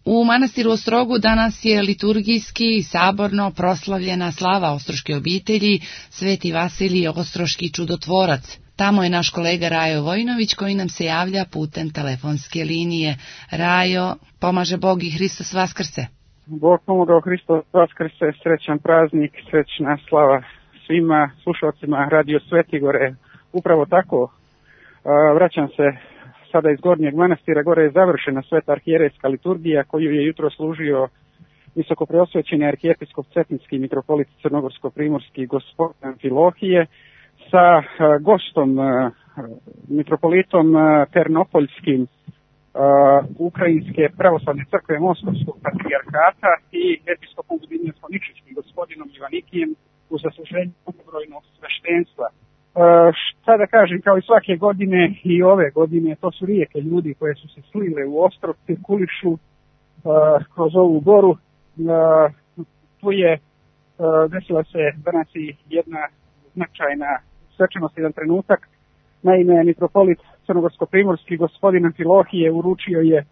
U manastiru Ostrogu danas je liturgijski i saborno proslavljena slava ostroške obitelji Sveti Vasilije Ostroški čudotvorac. Tamo je naš kolega Rajo Vojnović koji nam se javlja putem telefonske linije. Rajo, pomaže Bog i Hristos Vaskrse. Bog pomogao, Hristos Vaskrse, srećan praznik, srećna slava svima slušalcima Radio Svetigore. Upravo tako, vraćam se sada iz Gornjeg manastira, gore je završena sveta arhijerejska liturgija koju je jutro služio visokopreosvećeni arhijepiskop Cetinski mitropolit Crnogorsko-primorski gospodin Amfilohije sa gostom mitropolitom Ternopoljskim Ukrajinske pravoslavne crkve Moskovskog patrijarhata i episkopom Zbinjevsko-Ničićkim gospodinom Ivanikijem u zasluženju mnogobrojnog sveštenstva. Šta da kažem, kao i svake godine i ove godine, to su rijeke ljudi koje su se slile u Ostrog, cirkulišu kroz ovu goru. Tu je desila se danas i jedna značajna svečanost, jedan trenutak. Naime, mitropolit Crnogorsko-primorski gospodin Amfilohije uručio je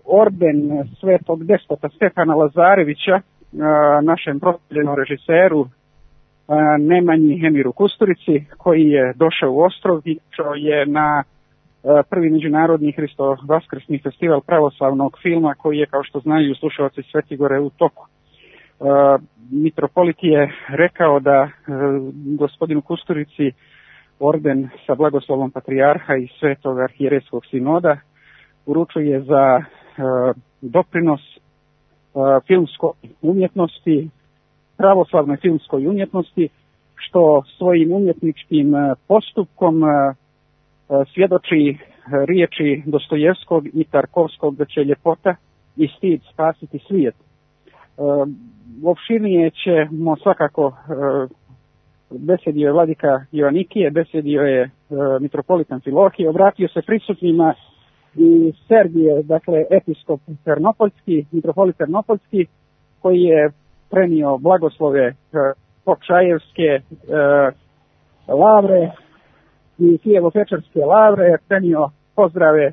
orden svetog despota Stefana Lazarevića našem proslavljenom režiseru Nemanji Emiru Kusturici, koji je došao u Ostrog i došao je na prvi međunarodni Hristo Vaskrsni festival pravoslavnog filma koji je, kao što znaju slušalci Svetigore, u toku. Mitropolit je rekao da gospodinu Kusturici orden sa blagoslovom patrijarha i svetog arhijerejskog sinoda uručuje za doprinos filmskoj umjetnosti, pravoslavnoj filmskoj umjetnosti, što svojim umjetničkim postupkom svjedoči riječi Dostojevskog i Tarkovskog da će ljepota i stid spasiti svijet. Opširnije ćemo svakako, besedio je vladika Ioannikije, besedio je mitropolit Amfilohije, obratio se prisutnima i Sergije, dakle episkop Ternopoljski, mitropolit Ternopoljski, koji je prenio blagoslove Pokšajevske lavre i Kijevo-Pečarske lavre, prenio pozdrave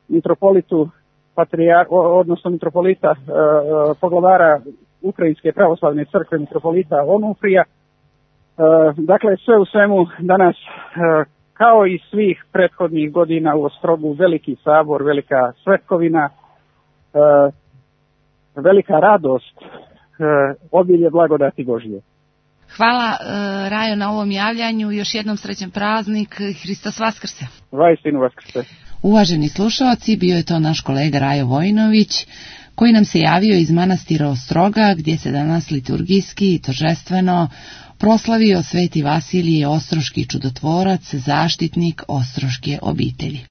mitropolitu odnosno mitropolita poglavara Ukrajinske pravoslavne crkve mitropolita Onufrija. Dakle, sve u svemu danas, kao i svih prethodnih godina u Ostrogu, veliki sabor, velika svetkovina, velika radost, obilje blagodati Božje. Hvala Rajo na ovom javljanju, još jednom srećan praznik, Hristos Vaskrse. Vaistinu Vaskrse. Uvaženi slušalci, bio je to naš kolega Rajo Vojnović, koji nam se javio iz manastira Ostroga, gdje se danas liturgijski i торжествено proslavio Sveti Vasilije Ostroški čudotvorac, zaštitnik ostroške obitelji.